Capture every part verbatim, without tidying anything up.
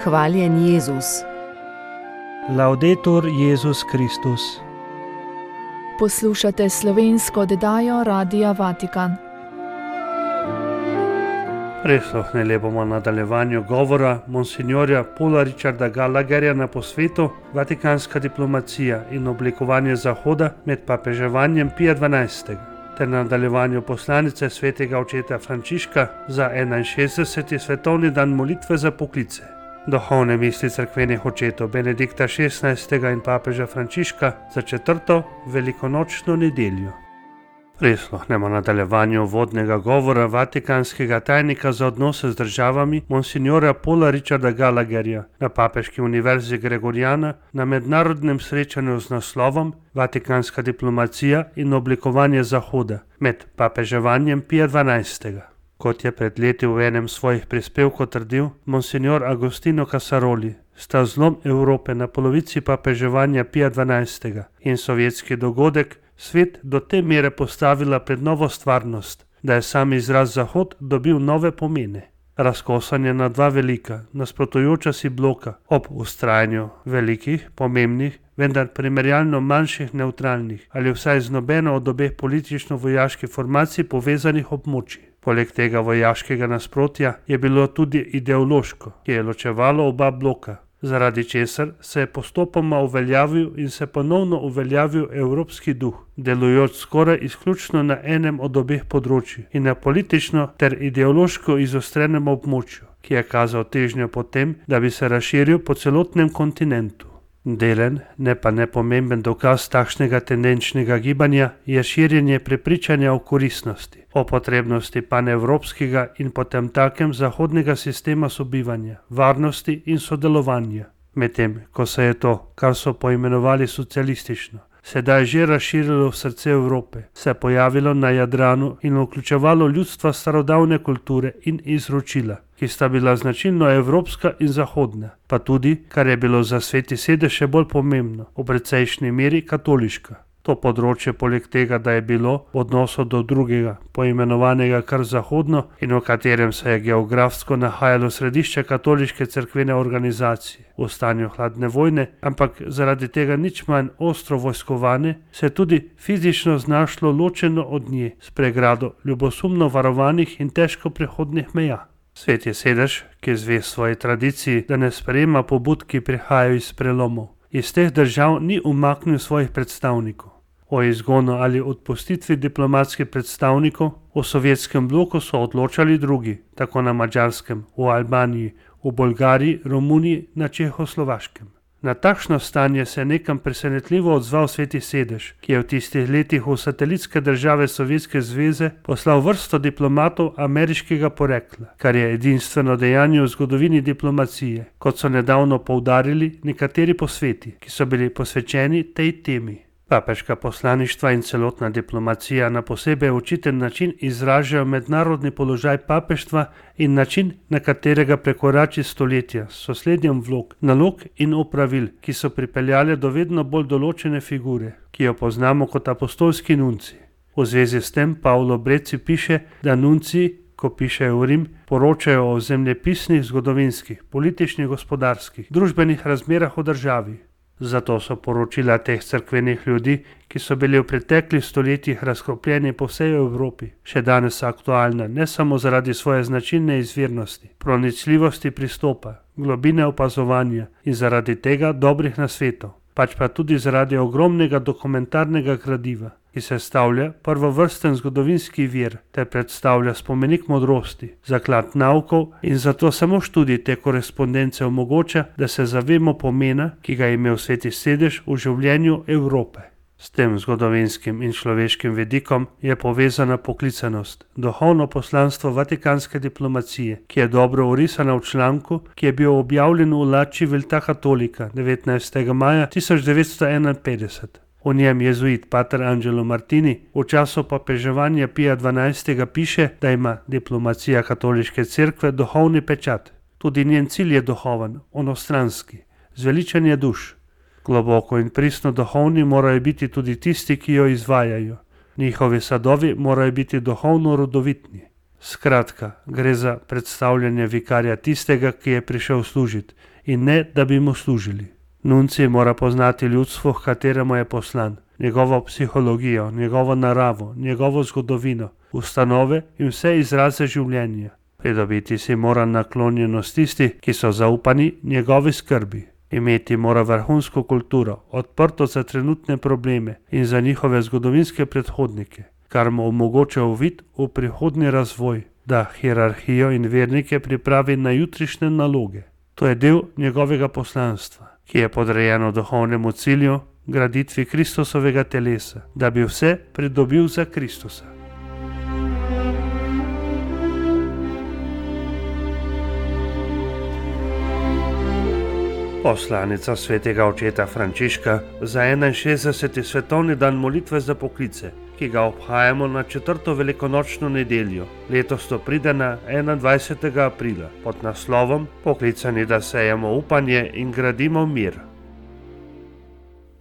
Hvaljen Jezus. Laudetur Jezus Kristus. Poslušate slovensko oddajo Radia Vatikan. Prisluhnili bomo nadaljevanju govora monsinjorja Paula Richarda Gallagherja na posvetu Vatikanska diplomacija in oblikovanje Zahoda med papeževanjem Pija dvanajstega ter nadaljevanju poslanice svetega očeta Frančiška za enainšestdeseti svetovni dan molitve za poklice. Duhovne misli cerkvenih očetov Benedikta šestnajstega in papeža Frančiška za četrto velikonočno nedeljo. Prisluhnemo nadaljevanju vodnega govora vatikanskega tajnika za odnose z državami monsinjora Paula Richarda Gallagherja na Papeški univerzi Gregoriana na mednarodnem srečanju z naslovom Vatikanska diplomacija in oblikovanje Zahoda med papeževanjem Pija dvanajstega. Kot je pred leti v enem svojih prispevkov trdil monsinjor Agostino Casaroli, sta zlom Evrope na polovici papeževanja Pija dvanajstega in sovjetski dogodek svet do te mere postavila pred novo stvarnost, da je sam izraz Zahod dobil nove pomene. Razkosanje na dva velika, nasprotujoča si bloka ob vztrajanju velikih, pomembnih, vendar primerjalno manjših nevtralnih ali vsaj z nobeno od obeh politično-vojaških formacij povezanih območij. Poleg tega vojaškega nasprotja je bilo tudi ideološko, ki je ločevalo oba bloka, zaradi česar se je postopoma uveljavil in se ponovno uveljavil evropski duh, delujoč skoraj izključno na enem od obeh področij in na politično ter ideološko izostrenem območju, ki je kazal težnjo po tem, da bi se razširil po celotnem kontinentu. Delen, ne pa nepomemben dokaz takšnega tendenčnega gibanja je širjenje prepričanja o koristnosti, o potrebnosti panevropskega in potem takem zahodnega sistema sobivanja, varnosti in sodelovanja. Medtem, ko se je to, kar so poimenovali socialistično, sedaj že razširilo v srce Evrope, se je pojavilo na Jadranu in vključevalo ljudstva starodavne kulture in izročila, ki sta bila značilno evropska in zahodna, pa tudi, kar je bilo za Sveti sedež še bolj pomembno, v precejšnji meri katoliška. To področje poleg tega, da je bilo v odnosu do drugega, poimenovanega kar zahodno in v katerem se je geografsko nahajalo središče katoliške cerkvene organizacije v stanju hladne vojne, ampak zaradi tega nič manj ostro vojskovane, se je tudi fizično znašlo ločeno od nje s pregrado ljubosumno varovanih in težko prehodnih meja. Sveti sedež, ki zve svoji tradiciji, da ne sprejema pobud, ki prihajajo iz prelomov, iz teh držav ni umaknil svojih predstavnikov. O izgonu ali odpustitvi diplomatskih predstavnikov v sovjetskem bloku so odločali drugi, tako na Madžarskem, v Albaniji, v Bolgariji, Romuniji, na Čehoslovaškem. Na takšno stanje se je nekam presenetljivo odzval Sveti sedež, ki je v tistih letih v satelitske države Sovjetske zveze poslal vrsto diplomatov ameriškega porekla, kar je edinstveno dejanje v zgodovini diplomacije, kot so nedavno poudarili nekateri posveti, ki so bili posvečeni tej temi. Papeška poslaništva in celotna diplomacija na posebej očiten način izražajo mednarodni položaj papeštva in način, na katerega prekorači stoletja s sosledjem vlog, nalog in opravil, ki so pripeljale do vedno bolj določene figure, ki jo poznamo kot apostolski nunci. V zvezi s tem Paolo Breci piše, da nunci, ko pišejo v Rim, poročajo o zemljepisnih, zgodovinskih, političnih, gospodarskih, družbenih razmerah v državi. Zato so poročila teh cerkvenih ljudi, ki so bili v preteklih stoletjih razkropljeni po vsej Evropi, še danes aktualna ne samo zaradi svoje značilne izvirnosti, pronicljivosti pristopa, globine opazovanja in zaradi tega dobrih nasvetov, pač pa tudi zaradi ogromnega dokumentarnega gradiva, ki sestavlja prvovrsten zgodovinski vir ter predstavlja spomenik modrosti, zaklad naukov in zato samo študij te korespondence omogoča, da se zavemo pomena, ki ga je imel Sveti sedež v življenju Evrope. S tem zgodovinskim in človeškim vidikom je povezana poklicanost, duhovno poslanstvo vatikanske diplomacije, ki je dobro orisana v članku, ki je bil objavljen v La Civiltà Cattolica devetnajstega maja tisoč devetsto enainpetdeset. V njem jezuit pater Angelo Martini v času papeževanja Pija dvanajstega piše, da ima diplomacija katoliške cerkve duhovni pečat. Tudi njen cilj je duhoven, onostranski, zveličanje duš. Globoko in pristno duhovni morajo biti tudi tisti, ki jo izvajajo. Njihovi sadovi morajo biti duhovno rodovitni. Skratka, gre za predstavljanje vikarja tistega, ki je prišel služiti in ne, da bi mu služili. Nuncij mora poznati ljudstvo, h kateremu je poslan, njegovo psihologijo, njegovo naravo, njegovo zgodovino, ustanove in vse izraze življenja. Pridobiti si mora naklonjenost tisti, ki so zaupani njegovi skrbi. Imeti mora vrhunsko kulturo, odprto za trenutne probleme in za njihove zgodovinske predhodnike, kar mu omogoča uvid v prihodnji razvoj, da hierarhijo in vernike pripravi na jutrišnje naloge. To je del njegovega poslanstva, ki je podrejeno duhovnemu cilju, graditvi Kristusovega telesa, da bi vse pridobil za Kristusa. Poslanica svetega očeta Frančiška za enainšestdeseti svetovni dan molitve za poklice, ki ga obhajamo na četrto velikonočno nedeljo. Letos to pride na enaindvajsetega aprila pod naslovom Poklicani, da sejemo upanje in gradimo mir.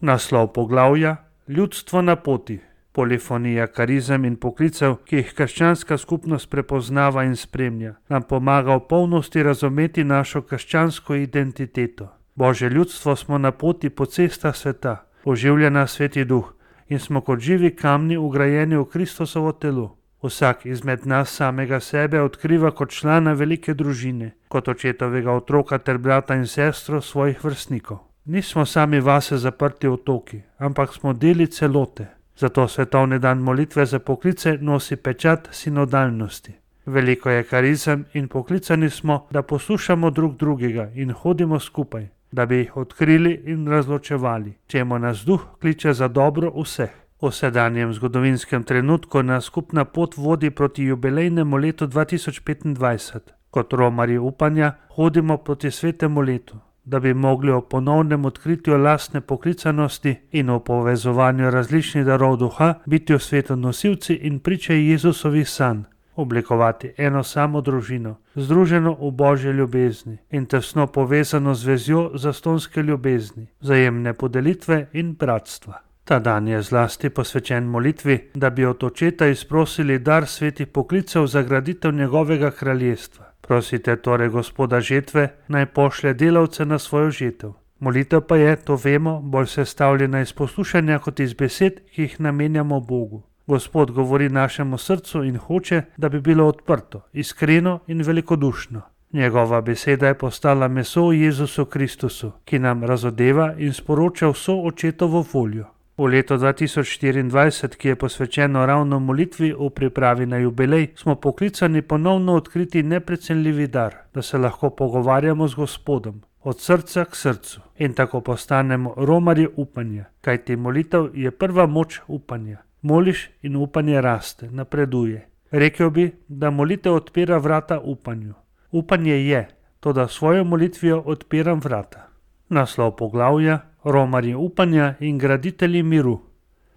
Naslov poglavja: Ljudstvo na poti. Polifonija karizem in poklicev, ki jih krščanska skupnost prepoznava in spremlja, nam pomaga v polnosti razumeti našo krščansko identiteto. Božje ljudstvo smo na poti po cestah sveta, oživlja nas Sveti Duh in smo kot živi kamni vgrajeni v Kristusovo telo. Vsak izmed nas samega sebe odkriva kot člana velike družine, kot očetovega otroka ter brata in sestro svojih vrstnikov. Nismo sami vase zaprti otoki, ampak smo deli celote. Zato svetovni dan molitve za poklice nosi pečat sinodalnosti. Veliko je karizem in poklicani smo, da poslušamo drug drugega in hodimo skupaj, da bi jih odkrili in razločevali, čemu nas Duh kliče za dobro vseh. V sedanjem zgodovinskem trenutku nas skupna pot vodi proti jubilejnemu letu dva tisoč petindvajset. Kot romarji upanja hodimo proti svetemu letu, da bi mogli o ponovnem odkritju lastne poklicanosti in o povezovanju različnih darov duha biti v svetu nosilci in priče Jezusovih sanj, oblikovati eno samo družino, združeno v Božji ljubezni in tesno povezano z vezjo zastonske ljubezni, vzajemne podelitve in bratstva. Ta dan je zlasti posvečen molitvi, da bi od Očeta izprosili dar svetih poklicev za graditev njegovega kraljestva. Prosite torej Gospoda žetve, naj pošlje delavce na svojo žetev. Molitev pa je, to vemo, bolj sestavljena iz poslušanja kot iz besed, ki jih namenjamo Bogu. Gospod govori našemu srcu in hoče, da bi bilo odprto, iskreno in velikodušno. Njegova beseda je postala meso v Jezusu Kristusu, ki nam razodeva in sporoča vso Očetovo voljo. V letu dva tisoč štiriindvajset, ki je posvečeno ravno molitvi v pripravi na jubilej, smo poklicani ponovno odkriti neprecenljivi dar, da se lahko pogovarjamo z Gospodom, od srca k srcu in tako postanemo romarji upanja, kajti molitev je prva moč upanja. Moliš in upanje raste, napreduje. Rekel bi, da molitev odpira vrata upanju. Upanje je, toda svojo molitvijo odpiram vrata. Naslov poglavja: Romarji upanja in graditelji miru.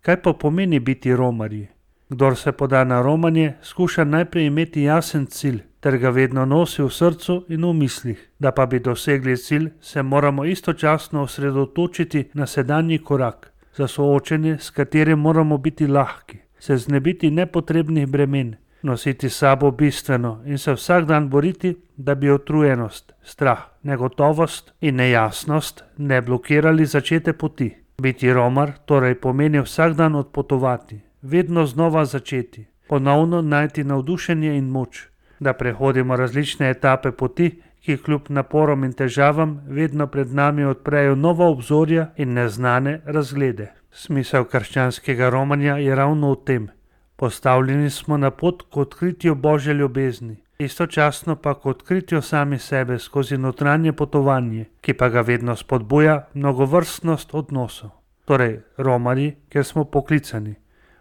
Kaj pa pomeni biti romarji? Kdor se poda na romanje, skuša najprej imeti jasen cilj, ter ga vedno nosi v srcu in v mislih. Da pa bi dosegli cilj, se moramo istočasno osredotočiti na sedanji korak, za soočenje, s katerim moramo biti lahki, se znebiti nepotrebnih bremen, nositi s sabo bistveno in se vsak dan boriti, da bi utrujenost, strah, negotovost in nejasnost ne blokirali začete poti. Biti romar torej pomeni vsak dan odpotovati, vedno znova začeti, ponovno najti navdušenje in moč, da prehodimo različne etape poti, ki kljub naporom in težavam vedno pred nami odprejo nova obzorja in neznane razglede. Smisel krščanskega romanja je ravno v tem. Postavljeni smo na pot k odkritju Božje ljubezni, istočasno pa k odkritju sami sebe skozi notranje potovanje, ki pa ga vedno spodbuja mnogovrstnost odnosov. Torej, romarji, ker smo poklicani.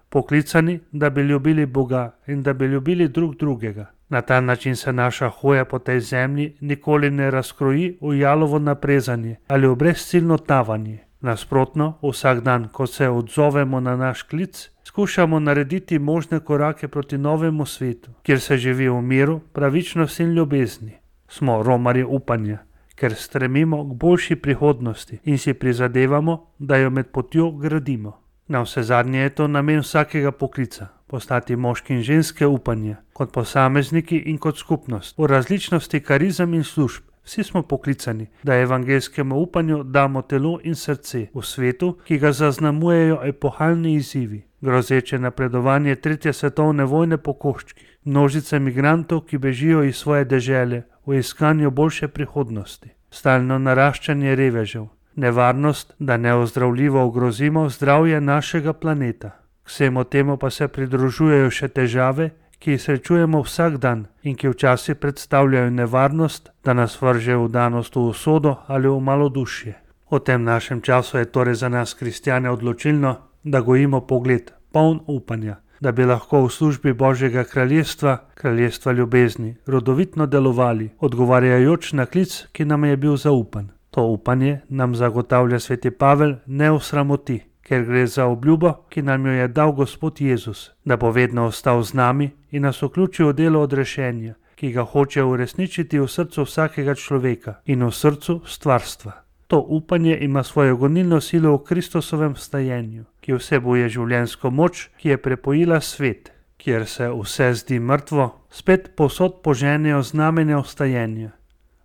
Poklicani, da bi ljubili Boga in da bi ljubili drug drugega. Na ta način se naša hoja po tej zemlji nikoli ne razkroji v jalovo naprezanje ali v brezciljno tavanje. Nasprotno, vsak dan, ko se odzovemo na naš klic, skušamo narediti možne korake proti novemu svetu, kjer se živi v miru, pravičnosti in ljubezni. Smo romarji upanja, ker stremimo k boljši prihodnosti in si prizadevamo, da jo med potjo gradimo. Na vse zadnje je to namen vsakega poklica, postati moški in ženske upanja, kot posamezniki in kot skupnost, v različnosti karizem in služb, Vsi smo poklicani, da evangeljskemu upanju damo telo in srce v svetu, ki ga zaznamujejo epohalni izzivi. Grozeče napredovanje tretje svetovne vojne po koščkih, množice migrantov, ki bežijo iz svoje dežele v iskanju boljše prihodnosti, stalno naraščanje revežev, nevarnost, da neozdravljivo ogrozimo zdravje našega planeta. K vsemu temu pa se pridružujejo še težave, ki jih srečujemo vsak dan in ki včasih predstavljajo nevarnost, da nas vrže v danost v usodo ali v malodušje. V tem našem času je torej za nas kristjane odločilno, da gojimo pogled, poln upanja, da bi lahko v službi Božjega kraljestva, kraljestva ljubezni, rodovitno delovali, odgovarjajoč na klic, ki nam je bil zaupan. To upanje nam zagotavlja sveti Pavel ne osramoti, ker gre za obljubo, ki nam jo je dal Gospod Jezus, da bo vedno ostal z nami in nas vključil v delo odrešenja, ki ga hoče uresničiti v srcu vsakega človeka in v srcu stvarstva. To upanje ima svojo gonilno silo v Kristusovem vstajenju, ki vsebuje življenjsko moč, ki je prepojila svet, kjer se vse zdi mrtvo, spet povsod poženejo znamenja vstajenja.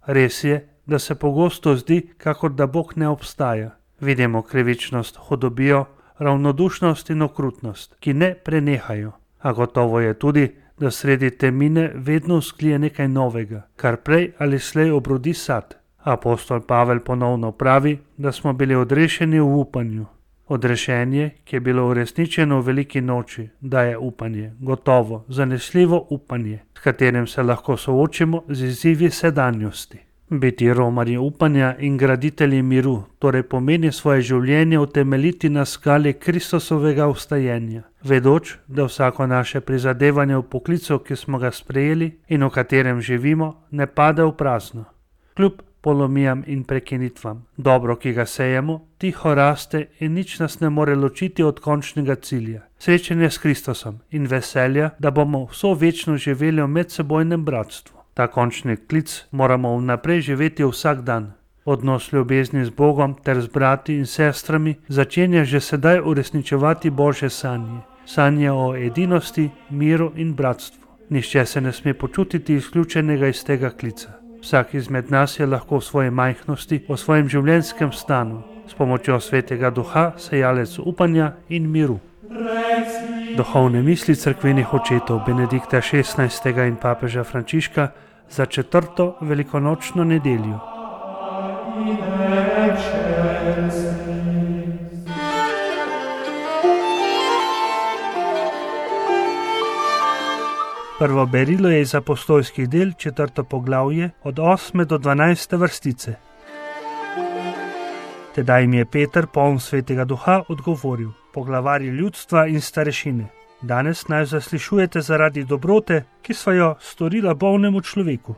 Res je, da se pogosto zdi, kakor da Bog ne obstaja. Vidimo krivičnost, hudobijo, ravnodušnost in okrutnost, ki ne prenehajo. A gotovo je tudi, da sredi temine vedno vzklije nekaj novega, kar prej ali slej obrodi sad. Apostol Pavel ponovno pravi, da smo bili odrešeni v upanju. Odrešenje, ki je bilo uresničeno v veliki noči, daje upanje, gotovo, zanesljivo upanje, s katerim se lahko soočimo z izzivi sedanjosti. Biti romarji upanja in graditelji miru, torej pomeni svoje življenje utemeljiti na skali Kristusovega vstajenja, vedoč, da vsako naše prizadevanje v poklicu, ki smo ga sprejeli in v katerem živimo, ne pade v prazno. Kljub polomijam in prekinitvam, dobro, ki ga sejemo, tiho raste in nič nas ne more ločiti od končnega cilja, srečanja s Kristusom in veselja, da bomo vso večno živeli v medsebojnem bratstvu. Ta končni klic moramo vnaprej živeti vsak dan. Odnos ljubezni z Bogom ter z brati in sestrami začenja že sedaj uresničevati Božje sanje. Sanje o edinosti, miru in bratstvu. Nihče se ne sme počutiti izključenega iz tega klica. Vsak izmed nas je lahko v svoji majhnosti, v svojem življenjskem stanu, s pomočjo Svetega Duha sejalec upanja in miru. Duhovne misli cerkvenih očetov Benedikta šestnajstega in papeža Frančiška za četrto velikonočno nedeljo. Prvo berilo je iz apostolskih del, četrto poglavje, od osme do dvanajste vrstice. Tedaj jim je Peter, poln Svetega Duha, odgovoril: poglavarji ljudstva in starešine, danes naj zaslišujete zaradi dobrote, ki sva jo storila bolnemu človeku.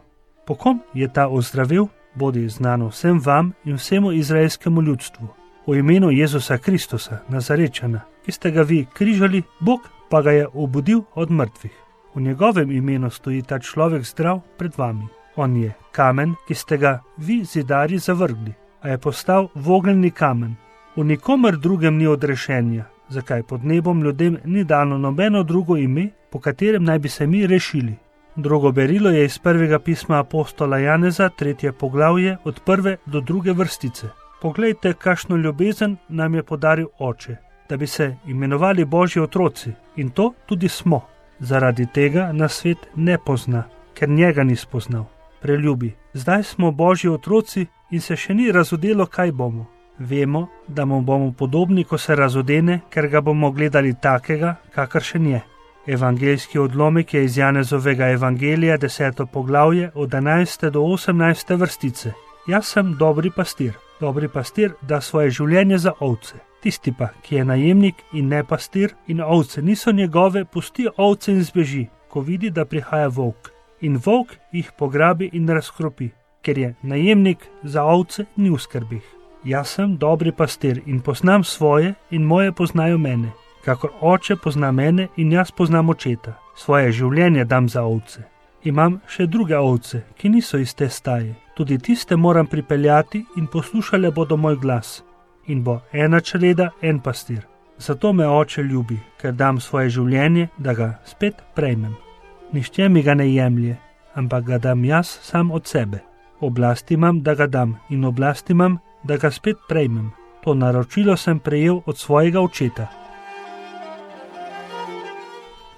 Po kom je ta ozdravil, bodi znano vsem vam in vsemu izraelskemu ljudstvu. V imenu Jezusa Kristusa, Nazarečana, ki ste ga vi križali, Bog pa ga je obudil od mrtvih. V njegovem imenu stoji ta človek zdrav pred vami. On je kamen, ki ste ga vi zidarji zavrgli, a je postal vogelni kamen. V nikomer drugem ni odrešenja, zakaj pod nebom ljudem ni dano nobeno drugo ime, po katerem naj bi se mi rešili. Drugo berilo je iz prvega pisma apostola Janeza, tretje poglavje, od prve do druge vrstice. Poglejte, kakšno ljubezen nam je podaril Oče, da bi se imenovali Božji otroci, in to tudi smo. Zaradi tega nas svet ne pozna, ker njega ni spoznal. Preljubi, zdaj smo Božji otroci in se še ni razodelo, kaj bomo. Vemo, da mu bomo podobni, ko se razodene, ker ga bomo gledali takega, kakršen je. Evangeljski odlomek je iz Janezovega evangelija, deseto poglavje, od enajste do osemnajste vrstice. Jaz sem dobri pastir. Dobri pastir da svoje življenje za ovce. Tisti pa, ki je najemnik in ne pastir in ovce niso njegove, pusti ovce in zbeži, ko vidi, da prihaja volk. In volk jih pograbi in razkropi, ker je najemnik za ovce ni v skrbih. Jaz sem dobri pastir in poznam svoje in moje poznajo mene. Kakor oče pozna mene in jaz poznam očeta. Svoje življenje dam za ovce. Imam še druge ovce, ki niso iz te staje. Tudi tiste moram pripeljati in poslušale bodo moj glas. In bo ena čreda, en pastir. Zato me oče ljubi, ker dam svoje življenje, da ga spet prejmem. Nihče mi ga ne jemlje, ampak ga dam jaz sam od sebe. Oblast imam, da ga dam, in oblast imam, da ga spet prejmem. To naročilo sem prejel od svojega očeta.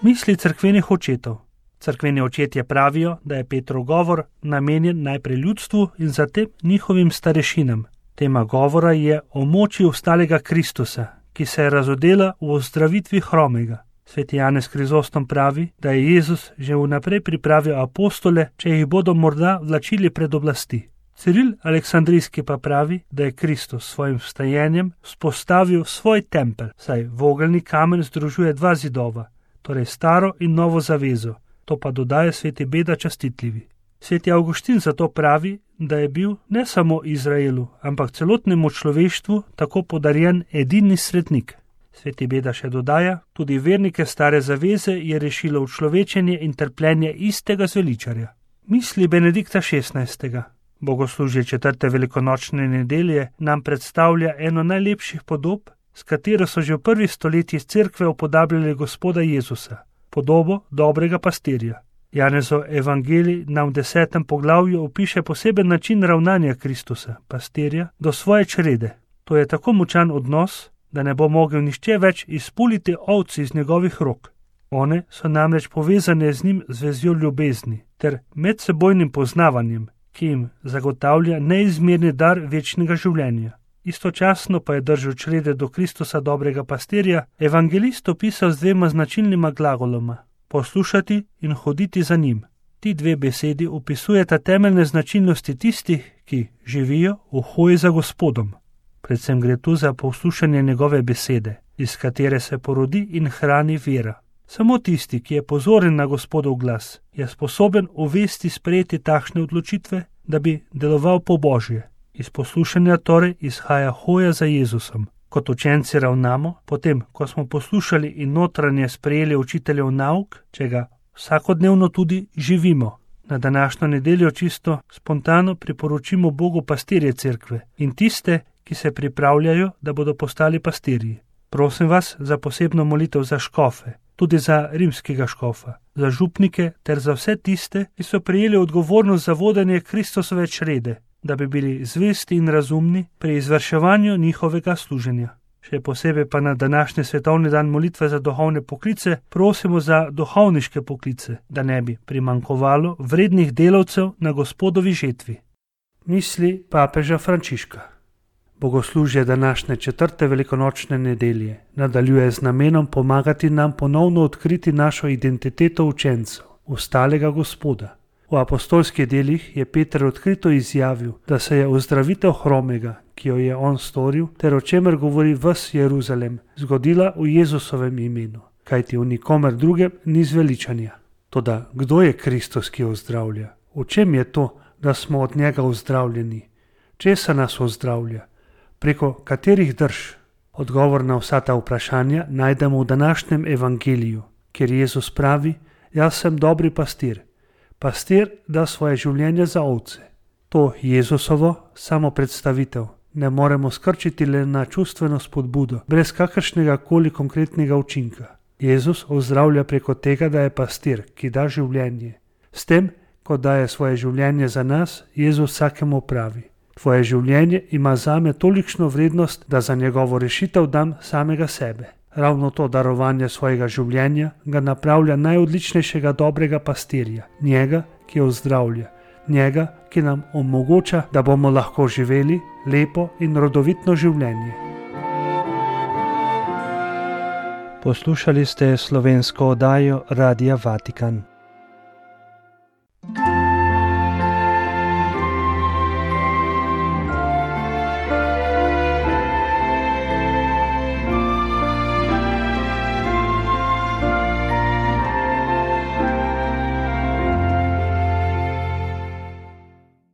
Misli cerkvenih očetov. Cerkveni očetje pravijo, da je Petrov govor namenjen najprej ljudstvu in zatem njihovim starešinam. Tema govora je o moči vstalega Kristusa, ki se je razodela v ozdravitvi hromega. Sveti Janez Krizostom pravi, da je Jezus že vnaprej pripravil apostole, če jih bodo morda vlačili pred oblasti. Ciril Aleksandrijski pa pravi, da je Kristus s svojim vstajenjem vzpostavil svoj tempelj, saj vogelni kamen združuje dva zidova, torej staro in novo zavezo. To pa dodaja sveti Beda Častitljivi. Sveti Avguštin zato pravi, da je bil ne samo Izraelu, ampak celotnemu človeštvu tako podarjen edini svetnik. Sveti Beda še dodaja, tudi vernike stare zaveze je rešilo učlovečenje in trpljenje istega zveličarja. Misli Benedikta šestnajstega. Bogoslužje četrte velikonočne nedelje nam predstavlja eno najlepših podob, s katero so že v prvih stoletjih cerkve upodabljali Gospoda Jezusa, podobo dobrega pastirja. Janezov evangelij nam v desetem poglavju opiše poseben način ravnanja Kristusa, pastirja, do svoje črede. To je tako močan odnos, da ne bo mogel nihče več izpuliti ovc iz njegovih rok. One so namreč povezane z njim z vezjo ljubezni ter medsebojnim poznavanjem, ki jim zagotavlja neizmerni dar večnega življenja. Istočasno pa je držal črede do Kristusa dobrega pastirja evangelist opisal z dvema značilnima glagoloma: poslušati in hoditi za njim. Ti dve besedi opisujeta temeljne značilnosti tistih, ki živijo v hoji za Gospodom. Predvsem gre tu za poslušanje njegove besede, iz katere se porodi in hrani vera. Samo tisti, ki je pozoren na Gospodov glas, je sposoben uvesti sprejeti takšne odločitve, da bi deloval po Božje. Iz poslušanja torej izhaja hoja za Jezusom. Kot učenci ravnamo, potem, ko smo poslušali in notranje sprejeli učiteljev nauk, če ga vsakodnevno tudi živimo. Na današnjo nedeljo čisto spontano priporočimo Bogu pastirje cerkve in tiste, ki se pripravljajo, da bodo postali pastirji. Prosim vas za posebno molitev za škofe, tudi za rimskega škofa, za župnike ter za vse tiste, ki so prejeli odgovornost za vodenje Kristusove črede, da bi bili zvesti in razumni pri izvrševanju njihovega služenja. Še posebej pa na današnji svetovni dan molitve za duhovne poklice prosimo za duhovniške poklice, da ne bi primanjkovalo vrednih delavcev na Gospodovi žetvi. Misli papeža Frančiška. Bogoslužje današnje četrte velikonočne nedelje nadaljuje z namenom pomagati nam ponovno odkriti našo identiteto učencev, vstalega Gospoda. V apostolskih delih je Peter odkrito izjavil, da se je ozdravitev hromega, ki jo je on storil, ter o čemer govori ves Jeruzalem, zgodila v Jezusovem imenu, kajti v nikomer drugem ni zveličanja. Toda kdo je Kristus, ki ozdravlja? V čem je to, da smo od njega ozdravljeni? Česa nas ozdravlja? Preko katerih drž? Odgovor na vsa ta vprašanja najdemo v današnjem evangeliju, kjer Jezus pravi: jaz sem dobri pastir. Pastir da svoje življenje za ovce. To Jezusovo samo predstavitev ne moremo skrčiti le na čustveno spodbudo, brez kakršnega koli konkretnega učinka. Jezus ozdravlja preko tega, da je pastir, ki da življenje. S tem, ko daje svoje življenje za nas, Jezus vsakemu pravi: tvoje življenje ima zame tolikšno vrednost, da za njegovo rešitev dam samega sebe. Ravno to darovanje svojega življenja ga napravlja najodličnejšega dobrega pastirja, njega, ki ozdravlja, njega, ki nam omogoča, da bomo lahko živeli lepo in rodovitno življenje. Poslušali ste slovensko oddajo Radia Vatikan.